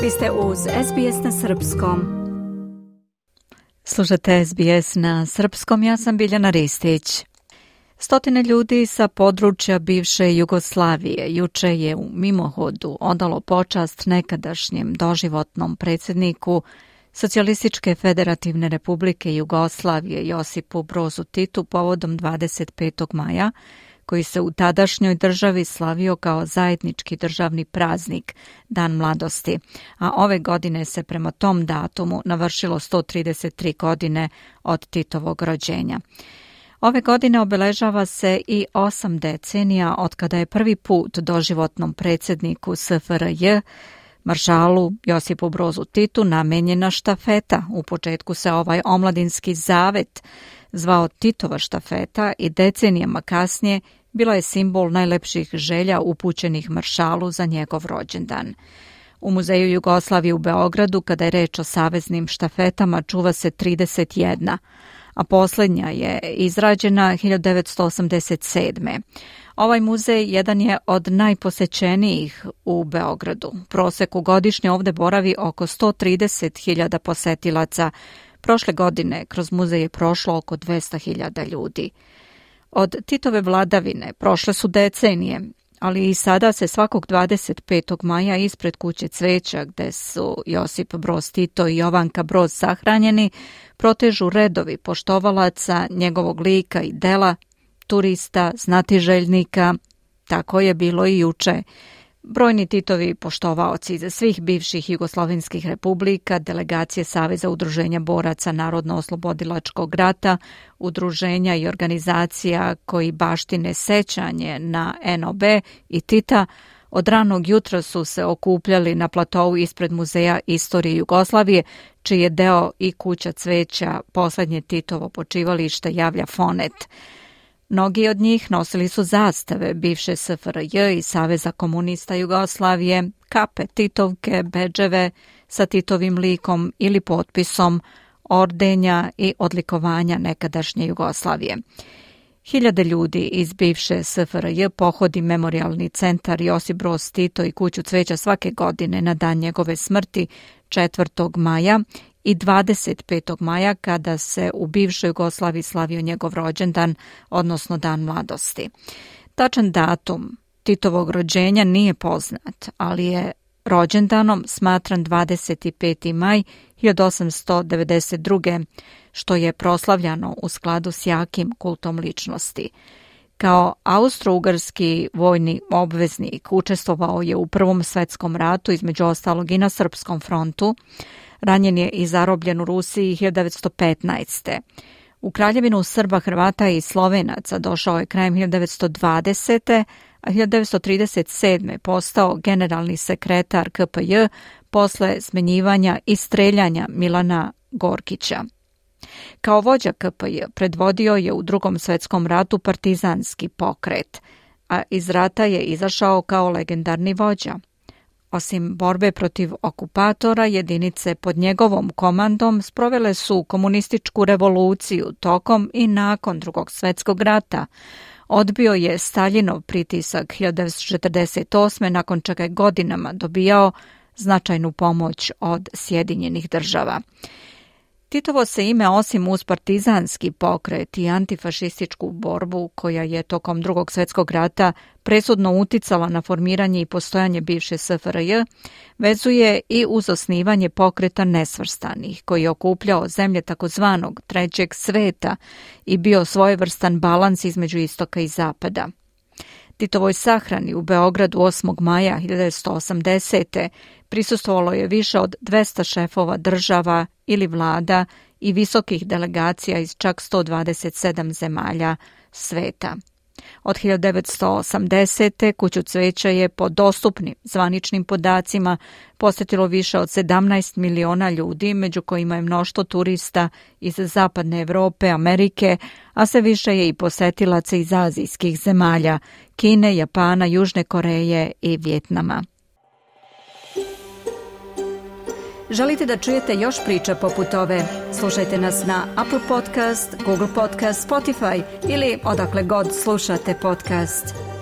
Vi ste uz SBS na Srpskom. Slušate SBS na Srpskom, ja sam Biljana Ristić. Stotine ljudi sa područja bivše Jugoslavije juče je u mimohodu odalo počast nekadašnjem doživotnom predsjedniku Socijalističke federativne republike Jugoslavije Josipu Brozu Titu povodom 25. maja, koji se u tadašnjoj državi slavio kao zajednički državni praznik, Dan mladosti, a ove godine se prema tom datumu navršilo 133 godine od Titovog rođenja. Ove godine obeležava se i 8 decenija od kada je prvi put doživotnom predsjedniku SFRJ, maršalu Josipu Brozu Titu, namenjena štafeta. U početku se ovaj omladinski zavet zvao Titova štafeta i decenijama kasnije bila je simbol najlepših želja upućenih maršalu za njegov rođendan. U Muzeju Jugoslavije u Beogradu, kada je reč o saveznim štafetama, čuva se 31, a posljednja je izrađena 1987. Ovaj muzej jedan je od najposećenijih u Beogradu. U proseku godišnje ovdje boravi oko 130.000 posetilaca. Prošle godine kroz muzej je prošlo oko 200.000 ljudi. Od Titove vladavine prošle su decenije, ali i sada se svakog 25. maja ispred kuće cveća, gde su Josip Broz Tito i Jovanka Broz sahranjeni, protežu redovi poštovalaca njegovog lika i dela, turista, znatiželjnika. Tako je bilo i juče. Brojni Titovi poštovaoci iz svih bivših jugoslovenskih republika, delegacije Saveza udruženja boraca Narodno-oslobodilačkog rata, udruženja i organizacija koji baštine sećanje na NOB i Tita, od ranog jutra su se okupljali na platovu ispred Muzeja istorije Jugoslavije, čiji je deo i kuća cveća, posljednje Titovo počivalište, javlja Fonet. Mnogi od njih nosili su zastave bivše SFRJ i Saveza komunista Jugoslavije, kape, titovke, bedževe sa Titovim likom ili potpisom, ordenja i odlikovanja nekadašnje Jugoslavije. Hiljade ljudi iz bivše SFRJ pohodi Memorijalni centar Josip Broz Tito i kuću cveća svake godine na dan njegove smrti 4. maja i 25. maja kada se u bivšoj Jugoslaviji slavio njegov rođendan, odnosno Dan mladosti. Tačan datum Titovog rođenja nije poznat, ali je rođendanom smatran 25. maj 1892. što je proslavljano u skladu s jakim kultom ličnosti. Kao austro-ugarski vojni obveznik učestvovao je u Prvom svetskom ratu, između ostalog i na Srpskom frontu. Ranjen je i zarobljen u Rusiji 1915. U Kraljevinu Srba, Hrvata i Slovenaca došao je krajem 1920. a 1937. postao generalni sekretar KPJ posle smenjivanja i streljanja Milana Gorkića. Kao vođa KPJ predvodio je u Drugom svetskom ratu partizanski pokret, a iz rata je izašao kao legendarni vođa. Osim borbe protiv okupatora, jedinice pod njegovom komandom sprovele su komunističku revoluciju tokom i nakon Drugog svjetskog rata. Odbio je Staljinov pritisak 1948. nakon čega je godinama dobijao značajnu pomoć od Sjedinjenih država. Titovo se ime, osim uz partizanski pokret i antifašističku borbu koja je tokom Drugog svjetskog rata presudno uticala na formiranje i postojanje bivše SFRJ, vezuje i uz osnivanje pokreta nesvrstanih, koji je okupljao zemlje takozvanog trećeg sveta i bio svojevrstan balans između istoka i zapada. Titovoj sahrani u Beogradu 8. maja 1980. prisustvovalo je više od 200 šefova država ili vlada i visokih delegacija iz čak 127 zemalja sveta. Od 1980. kuću cveća je po dostupnim zvaničnim podacima posjetilo više od 17 miliona ljudi, među kojima je mnoštvo turista iz Zapadne Evrope, Amerike, a sve više je i posetilaca iz azijskih zemalja, Kine, Japana, Južne Koreje i Vjetnama. Želite da čujete još priča poput ove? Slušajte nas na Apple Podcast, Google Podcast, Spotify ili odakle god slušate podcast.